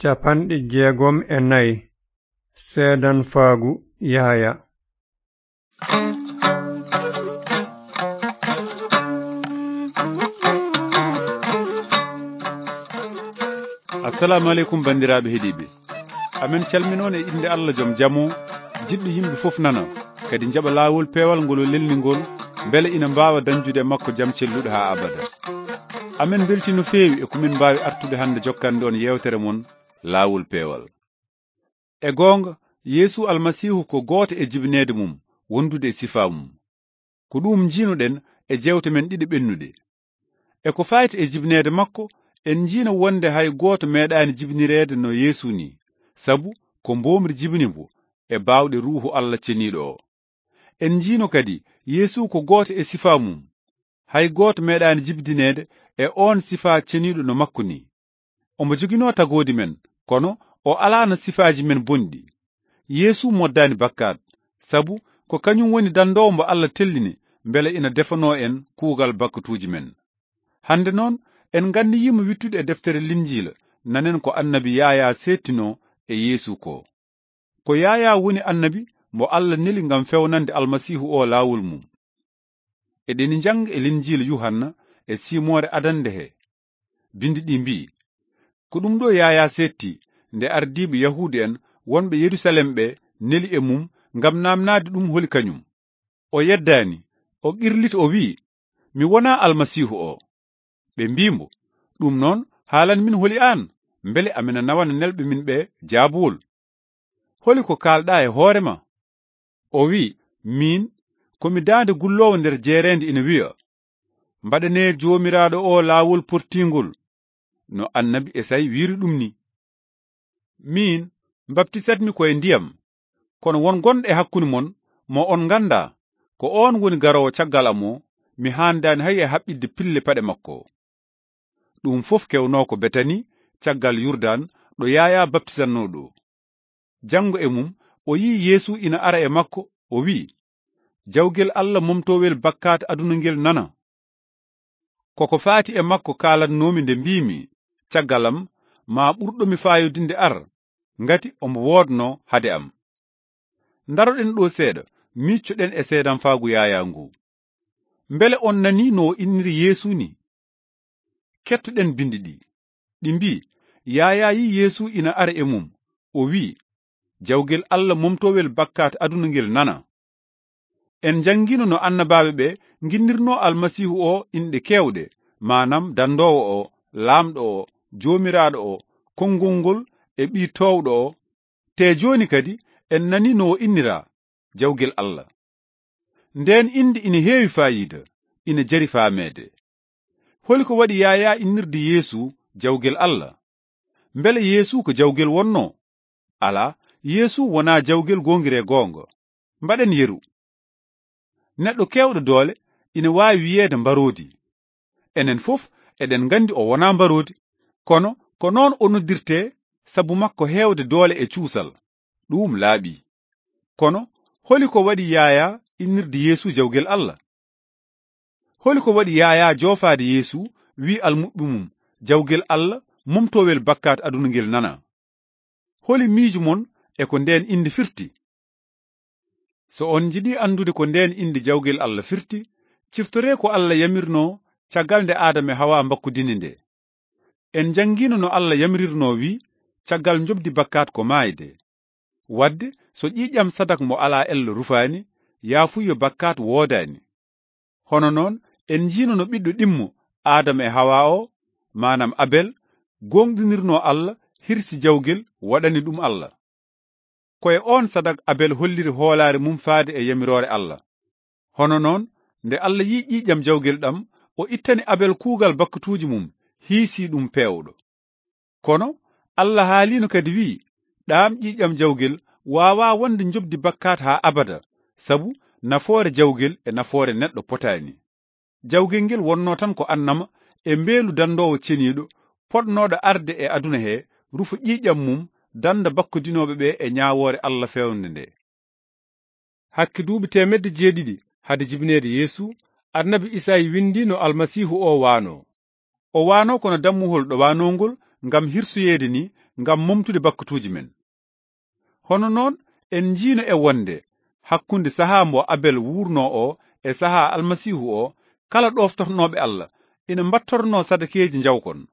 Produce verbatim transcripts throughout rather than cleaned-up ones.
Capanɗe jeegom e nayi. Seedanfaagu Yahaya. Assalamu aleykum, banndiraaɓe heɗiiɓe. Amen calminoon e innde Allah joom jamo, jiɗɗo yimɓe fof nana, kadi njaɓa laawol peewal ngol o lelni ngol, mbele ina mbaawa dañjude e makko jam celluɗo haa abada. Amen mbelti no feewi e ko min mbaawi artude hannde jokkande on yeewtere mon, Laawol Peewal. E goonga, Yeesu Almasiihu ko gooto e jibineede mum, wondude e sifaa mum. Ko ɗum njiinoɗen e jeewte men ɗiɗi ɓennuɗe. E ko fayti e jibineede makko, en njiino wonde hay gooto meeɗaani jibinireede no Yeesu ni, sabu ko mboomri jibini mbo e baawɗe Ruuhu Allah Ceniiɗo o. En njiino kadi Yeesu ko gooto e sifaa mum. Hay gooto meeɗaani jibdineede e oon sifaa ceniiɗo no makko ni. Omo joginoo tagoodi men, kono o alaano sifaaji men bonɗi. Yeesu moddaani bakkaat, sabu ko kañum woni danndoowo mbo Allah tellini mbele ina defanoo en kuugal bakkatuuji men. Hannde noon, en nganniyiima wittude e deftere Linjiila, nanen ko annabi Yaayaa seettinoo e Yeesu ko. Ko Yaayaa woni annabi mo Allah neli ngam fewnande Almasiihu o laawol mum. Eɗeni njannga e Linjiila Yuhanna e siimoore adannde he. Binndi ɗi mbiyi, ko ɗum ɗo Yaayaa seetti nde ardiiɓe Yahuudu en wonɓe Yerusalem ɓe neli e mum ngam naamnaade ɗum holi kañum. O yeddaani, o qirliti, o wiyi, "Mi wonaa Almasiihu o." Ɓe mbii mbo, "Ɗum noon, haalan min holi aan, mbele amina nawana nelɓe min ɓe jaabuwol. Holi ko kaalɗaa e hoore ma?" O wiyi, "Miin, ko mi daande gulloowo nder jeereende ina wiya, 'Mbaɗanee Joomiraaɗo o laawol pottiingol, no annabi Esay wiiri ɗum ni.'" Miin, mbaptisatmi ko e ndiyam, kono won gonɗo e hakkunde mon mo on nganndaa, ko oon woni garoowo caggal am o, mi haandaani hay e haɓɓitde pille paɗe makko. Ɗum fof kewnoo ko Betani, caggal Yurdan, ɗo Yaayaa baptisatnoo ɗo. Janngo e mum, o yiyi Yeesu ina ara e makko, o wiyi, "Jawgel Allah momtowel bakkaat aduna ngel nana." Koko faati e makko kaalatnoomi nde mbiimi, "Caggal am, ma ɓurɗo mi faayodinde ar, ngati omo woodnoo hade am." Ndaroɗen ɗo seeɗa, miiccoɗen e seedanfaagu Yaayaa ngu. Mbele on nanii no o inniri Yeesu ni? Kettoɗen binndi ɗi. Ɗi mbii, Yaayaa yii Yeesu ina ara e mum. O wii, "Jawgel Allah momtowel bakkaat aduna ngel nana." En njanngiino no annabaaɓe ɓe nginnirnoo Almasiihu o inɗe keewɗe, maanaam danndoowo o, laamɗo o, joomiraaɗo o, konngol ngol e ɓii toowɗo o. Te jooni kadi en nanii no o inniraa, Jawgel Allah. Ndeen innde ina heewi faayiida, ina jari faameede. Holi ko waɗi Yaayaa innirde Yeesu Jawgel Allah? Mbele Yeesu ko jawgel wonnoo? Alaa, Yeesu wonaa jawgel goongiree goonga. Mbaɗen yeru. Neɗɗo keewɗo doole ina waawi wiyeede mbaroodi. Enen fof eɗen nganndi o wonaa mbaroodi, kono ko noon o noddirtee sabu makko heewde doole e cuusal. Ɗuum laaɓi. Kono holi ko waɗi Yaayaa innirde Yeesu Jawgel Allah? Holi ko waɗi Yaayaa joofaade Yeesu, wii almuɓɓe mum, "Jawgel Allah, momtowel bakkaat aduna ngel nana"? Holi miijo mon e ko ndeen innde firti? So on njiɗi anndude ko ndeen innde Jawgel Allah firti, ciftoree ko Allah yamirnoo caggal nde Aadama e Hawaa mbakkudini nde. En njanngiino no Allah yamirirnoo wii, caggal njoɓdi bakkaat ko maayde. Waɗde, so ƴiiƴam sadak mo alaa ello rufaani, yaafuyo bakkaat woodaani. Hono noon, en njiino no ɓiɗɗo ɗimmo, Aadama e Hawaa o, maanaam Abel, gooŋɗinirnoo Allah, hirsi jawgel, waɗani ɗum Allah. Ko e oon sadak Abel holliri hoolaare mum faade e yamiroore Allah. Hono noon, nde Allah yii ƴiiƴam jawgel ɗam, o ittani Abel kuugal bakkatuuji mum, hiisi ɗum peewɗo. Kono Allah haaliino kadi wii, "Ɗaam ƴiiƴam jawgel waawaa wonde njoɓdi bakkaat haa abada, sabu nafoore jawgel e nafoore neɗɗo potaani." Jawgel ngel wonnoo tan ko annama e mbeelu danndoowo ceniiɗo, potnooɗo arde e aduna he, rufa ƴiiƴam mum, dannda bakkodinooɓe ɓe e ñaawoore Allah feewnde nde. Hakke duuɓi teemedde jeeɗiɗi hade jibineede Yeesu, annabi Isayi winndi no Almasiihu o waanoo. O waanoo kono dammuhol ɗowaanoongol ngam hirsoyeede ni, ngam momtude bakkatuuji men. Hono noon, en njiino e wonde hakkunde sahaa mbo Abel wuurnoo o e sahaa Almasiihu o, kala ɗooftornooɓe Allah ina mbattornoo sadakeeji njawkon.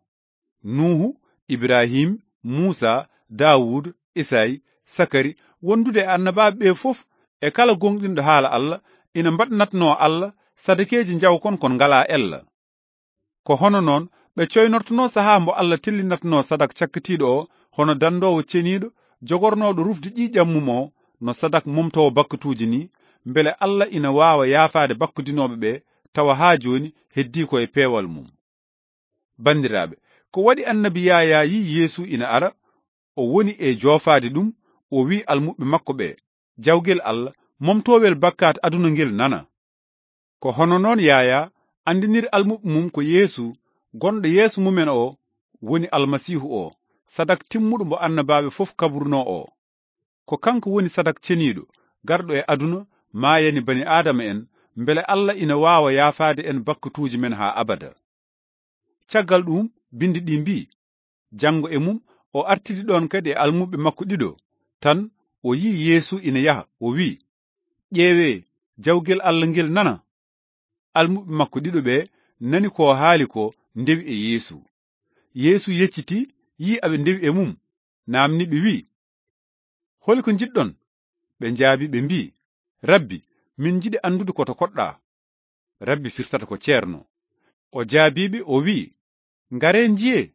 Nuuhu, Ibrahim, Muusa, Daawuud, Isay, Sakari, wondude e annabaaɓe ɓe fof, e kala gooŋɗinɗo haala Allah, ina mbaɗnatnoo Allah sadakeeji njawkon kon ngalaa ella. Ko hono noon ɓe coynortunoo sahaa mbo Allah tellinatnoo sadak cakkitiiɗo o, hono dandoowo ceniiɗo, jogornooɗo rufde ƴiiƴam mum o, no sadak momtoowo bakkatuuji ni, mbele Allah ina waawa yaafaade bakkudinooɓe ɓe, tawa haa jooni heddii ko e peewal mum. Banndiraaɓe, ko waɗi annabi Yaayaa yii Yeesu ina ara, o woni e joofaade ɗum, o wi'i almuɓɓe makko ɓe, "Jawgel Allah, momtoowel bakkaat aduna ngel nana." Ko hono noon Yaayaa anndiniri almuɓɓe mum ko Yeesu gonɗo yeeso mumen o woni Almasiihu o, sadak timmuɗo mbo annabaaɓe fof kabrunoo o. Ko kanko woni sadak ceniiɗo, garɗo e aduna, maayani bani Aadama en, mbele Allah ina waawa yaafaade en bakkatuuji men haa abada. Caggal ɗum, binndi ɗi mbii, janngo e mum, o artidi ɗoon kadi e almuɓɓe makko ɗiɗo. Tan o yii Yeesu ina yaha, o wii, "Ƴeewee, jawgel Allah ngel nana." Almuɓɓe makko ɗiɗo ɓe nani ko haali ko, ndewi e Yeesu. Yeesu yeccitii, yii aɓe ndewi e mum, naamni ɓe wii, "Holi ko njiɗɗon?" Ɓe njaabi, ɓe mbii, "Rabbi, min njiɗi anndude ko to koɗɗaa." Rabbi firtata ko ceerno. O jaabii ɓe, o wii, "Ngaree njiyee."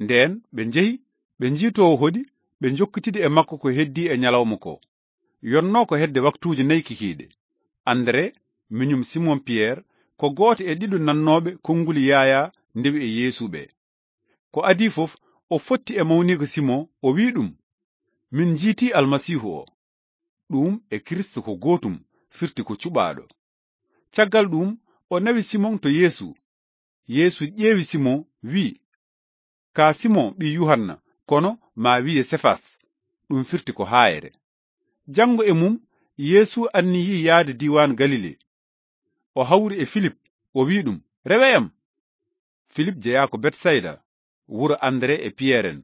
Ndeen ɓe njehi, ɓe njii to o hoɗi, ɓe njokkitidi e makko ko heddii e ñalawma ko. Yonnoo ko hedde waktuuji nayi kikiiɗe. Andere, miñum Simon Piyer, ko gooto e ɗiɗo nannooɓe konnguli Yaayaa ndewi e Yeesu ɓe. Ko adii fof, o fotti e mawniiko Simon, o wii ɗum, "Min njiitii Almasiihu o." Ɗum e Kiristu ko gootum, firti ko cuɓaaɗo. Caggal ɗum, o nawi Simon to Yeesu. Yeesu ƴeewi Simon, wii, "Ka Simon ɓii Yuhanna, kono maa wiye Sefas." Ɗum firti ko haayre. Janngo e mum, Yeesu anniyii yahde diiwaan Galile. O hawri e Filip, o wii ɗum, "Rewee am." Filip jeyaa ko Betsayda, wuro Andere e Piyer en.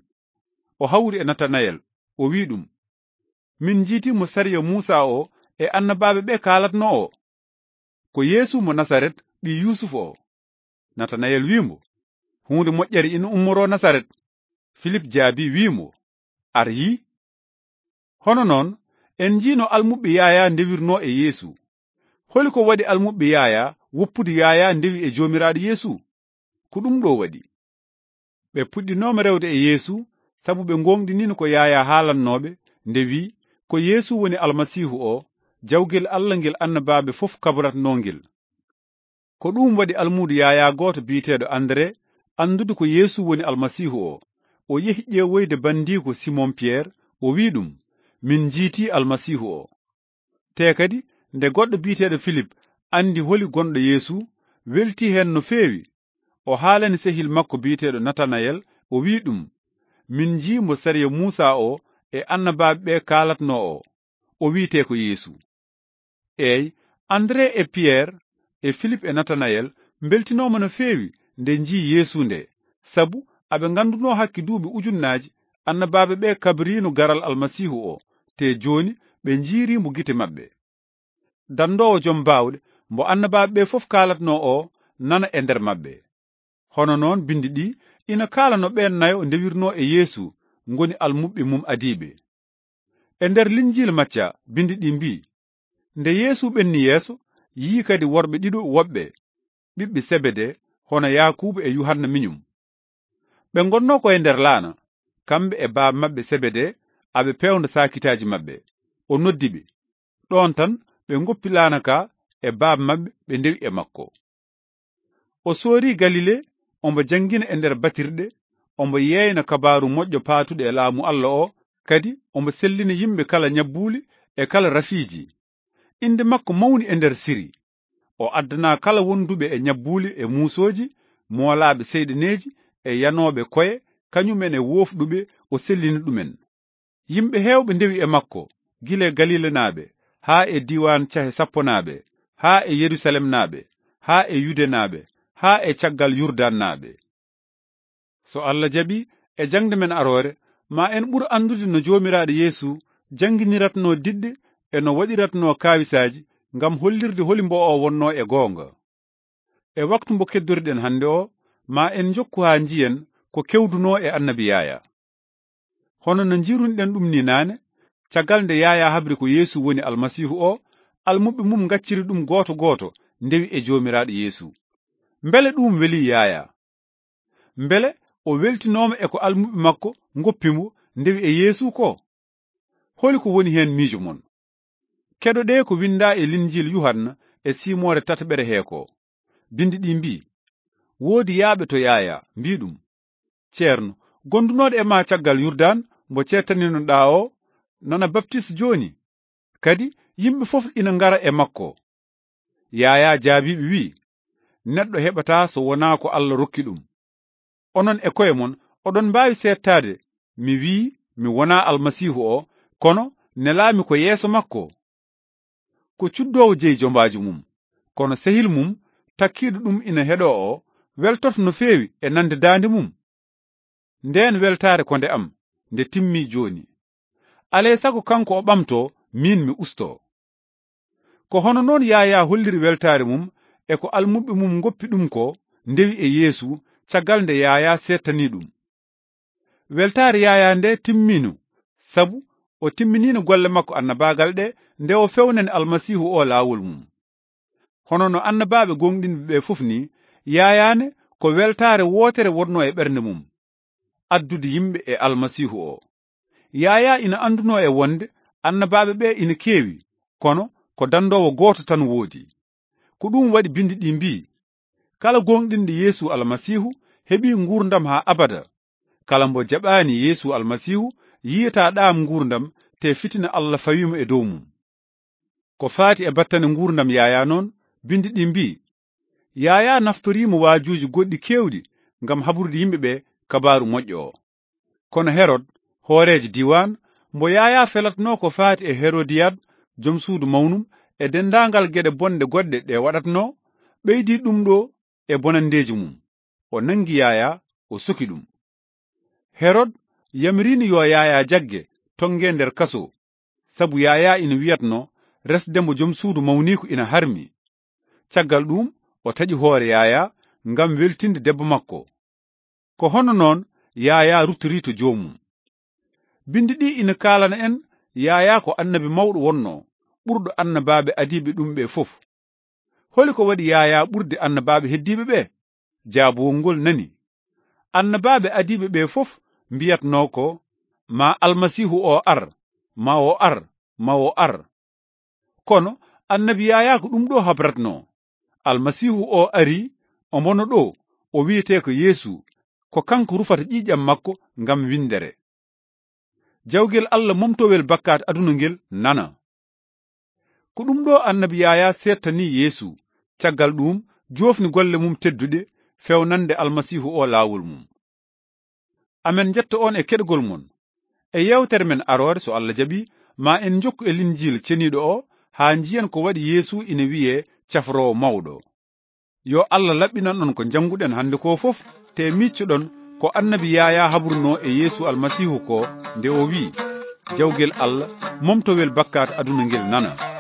O hawri e Natanayel, o wii ɗum, "Min njiitii mo sariya Muusa o e annabaaɓe ɓe kaalatnoo o. Ko Yeesu mo Nasaret, ɓii Yuusuf o." Natanayel wii mo, "Huunde moƴƴere ina ummoroo Nasaret." Filip jaabii, wii mo, "Ar yii." Hono noon, en njiino almuɓɓe Yaayaa ndewirnoo e Yeesu. Holi ko waɗi almuɓɓe Yaayaa woppude Yaayaa ndewi e Joomiraaɗo Yeesu? Ko ɗum ɗo waɗi. Ɓe puɗɗinooma rewde e Yeesu, sabu ɓe ngooŋɗiniino ko Yaayaa haalannooɓe, nde wii, "Ko Yeesu woni Almasiihu o, jawgel Allah ngel annabaaɓe fof kabratnoo ngel." Ko ɗum waɗi almuudo Yaayaa gooto biyeteeɗo Andere, anndude ko Yeesu woni Almasiihu o, o yehi ƴeewoyde banndiiko Simon Piyer, o wii ɗum, "Min njiitii Almasiihu o." Te kadi, nde goɗɗo biyeteeɗo Filip anndi holi gonɗo Yeesu, weltii heen no feewi. O haalani sehil makko biyeteeɗo Natanayel, o wii ɗum, "Min njii mo sariya Muusa o e annabaaɓe ɓe kaalatnoo o. O wiyetee ko Yeesu." Eey, Andere e Piyer e Filip e Natanayel mbeltinooma no feewi nde njii Yeesu nde, sabu aɓe nganndunoo hakke duuɓi ujunnaaji annabaaɓe ɓe kabriino garal Almasiihu o, te jooni ɓe njiirii mo gite maɓɓe. Danndoowo jom baawɗe, mbo annabaaɓe ɓe fof kaalatnoo o, nana e nder maɓɓe. Hono noon, binndi ɗi ina kaala no ɓeen nayo ndewirnoo e Yeesu, ngoni almuɓɓe mum adiiɓe. E nder Linjiil Macca, binndi ɗi mbii, "Nde Yeesu ɓenni yeeso, yii kadi worɓe ɗiɗo woɓɓe, ɓiɓɓe Sebede, hono Yaakuuba e Yuhanna miñum. Ɓe ngonnoo ko e nder laana, kamɓe e baaba maɓɓe Sebede, aɓe peewna saakitaaji maɓɓe. O noddi ɓe. Ɗoon tan ɓe ngoppi laana ka e baaba maɓɓe, ɓe ndewi e makko." O soorii Galile, omo janngina e nder batirɗe, omo yeeyna kabaaru moƴƴo paatuɗo e laamu Allah o, kadi omo sellina yimɓe kala ñabbuuli e kala rafiiji. Innde makko mawni e nder Siri. O addanaa kala wonduɓe e ñabbuuli e muusooji, moolaaɓe seyɗaneeji e yanooɓe koye, kañumen e woofɗuɓe, o sellini ɗumen. Yimɓe heewɓe ndewi e makko, gila e Galilanaaɓe, haa e diiwaan cahe sapponaaɓe, haa e Yerusalemnaaɓe, haa e Yudenaaɓe, haa e caggal Yurdaannaaɓe. So Allah jaɓii, e jaŋde men aroore, Ma en ɓur anndude no Joomiraaɗo Yeesu jannginiratnoo diɗɗe e no waɗiratnoo kaawisaaji ngam hollirde holi mbo o wonnoo e goonga. E waktu mbo keddoriɗen hannde o, ma en njokku haa njiyen ko kewdunoo e Annabi Yaaya. Hono no njirunɗen ɗum ni naane, caggal nde Yaaya habri ko Yeesu woni Almasiihu o, almuɓɓe mum ngacciri ɗum gooto gooto, ndewi e Joomiraaɗo Yeesu. Mbele ɗum weli Yaaya? Mbele o weltinooma e ko almuɓɓe makko ngoppi mo, ndewi e Yeesu ko? Holi ko woni heen miijo mon? Keɗoɗee ko winndaa e Linjiil Yuhanna e siimoore tataɓere hee ko. Binndi ɗi mbii, "Woodi yaaɓe to Yaaya, mbii ɗum, 'Ceerno, gondunooɗo e ma caggal Yurdan, mbo ceettaninoɗaa o, nana baptis jooni? Kadi yimɓe fof ina ngara e makko.'" Yaaya jaabii ɓe, wii, "Neɗɗo heɓataa so wonaa ko Alla rokki ɗum. Onon e koye mon, oɗon mbaawi seettaade mi wii mi wonaa Almasiihu o, kono nelaami ko yeeso makko. Ko cuddoowo jeyi jombaaji mum, kono sehil mum takkiiɗo ɗum ina heɗoo o, weltoto no feewi e nande daande mum. Ndeen weltaare ko nde am, nde timmii jooni. Alay sago kanko o ɓamtoo, miin mi ustoo." Ko hono noon Yaaya holliri weltaare mum e ko almuɓɓe mum ngoppi ɗum ko, ndewi e Yeesu, caggal nde Yaaya seettanii ɗum. Weltaare Yaaya nde timmiino, sabu o timminino golle makko annabaagal ɗe nde o fewnani Almasiihu o laawol mum. Hono no annabaaɓe gooŋɗinɓe ɓe fof ni, Yaaya ne ko weltaare wootere wonnoo e ɓernde mum, addude yimɓe e Almasiihu o. Yaaya ina anndunoo e wonde annabaaɓe ɓe ina keewi, kono ko danndoowo gooto tan woodi. Ko ɗum waɗi binndi ɗi mbii, "Kala gooŋɗinɗo Yeesu Almasiihu heɓii nguurndam haa abada. Kala mbo jaɓaani Yeesu Almasiihu yiyataa ɗaam nguurndam, te fitina Alla fawii mo e dow mum." Ko faati e battane nguurndam Yaaya noon, binndi ɗi mbii, Yaaya naftoriima waajuuji goɗɗi keewɗi ngam habrude yimɓe ɓe kabaaru moƴƴo o. Kono Herod, hooreejo diiwaan, mbo Yaaya felatnoo ko faati e Herodiyad, jom suudu mawnum, e denndaangal geɗe bonɗe goɗɗe ɗe waɗatnoo, ɓeydii ɗum ɗo e bonanndeeji mum. O nanngi Yaaya, o soki ɗum. Herod yamiriino yo Yaaya jagge, tonngee nder kaso, sabu Yaaya ina wiyatnoo resde mbo jom suudu mawniiko ina harmi. Caggal ɗuum, o taƴi hoore Yaaya ngam weltinde debbo makko. Ko hono noon Yaaya ruttorii to joomum. Binndi ɗi ina kaalana en Yaaya ko annabi mawɗo wonnoo, ɓurɗo annabaaɓe adiiɓe ɗum ɓe fof. Holi ko waɗi Yaaya ɓurde annabaaɓe heddiiɓe ɓe? Jaabowol ngol nani. Annabaaɓe adiiɓe ɓe fof mbiyatnoo ko, "Ma Almasiihu o ar, ma o ar, ma o ar." Kono annabi Yaaya ko ɗum ɗo habratnoo. Almasiihu o arii, omo no ɗo, o wiyetee ko Yeesu, ko kanko rufata ƴiiƴam makko ngam winndere. Jawgel Alla momtowel bakkaat aduna ngel nana. Ko ɗum ɗo annabi Yaaya seettanii Yeesu, caggal ɗuum joofni golle mum tedduɗe fewnande Almasiihu o laawol mum. Amen njetta on e keɗgol mon. E yeewtere men aroore, so Alla jaɓi, ma en njokku e Linjiil ceniiɗo o, haa njiyen ko waɗi Yeesu ina wiyee cafroowo mawɗo. Yo Alla laɓɓinan on ko njannguɗen hannde ko fof, te miccoɗon ko annabi Yaaya habrunoo e Yeesu Almasiihu ko, nde o wi'i, "Jawgel Alla, momtowel bakkaat aduna ngel nana."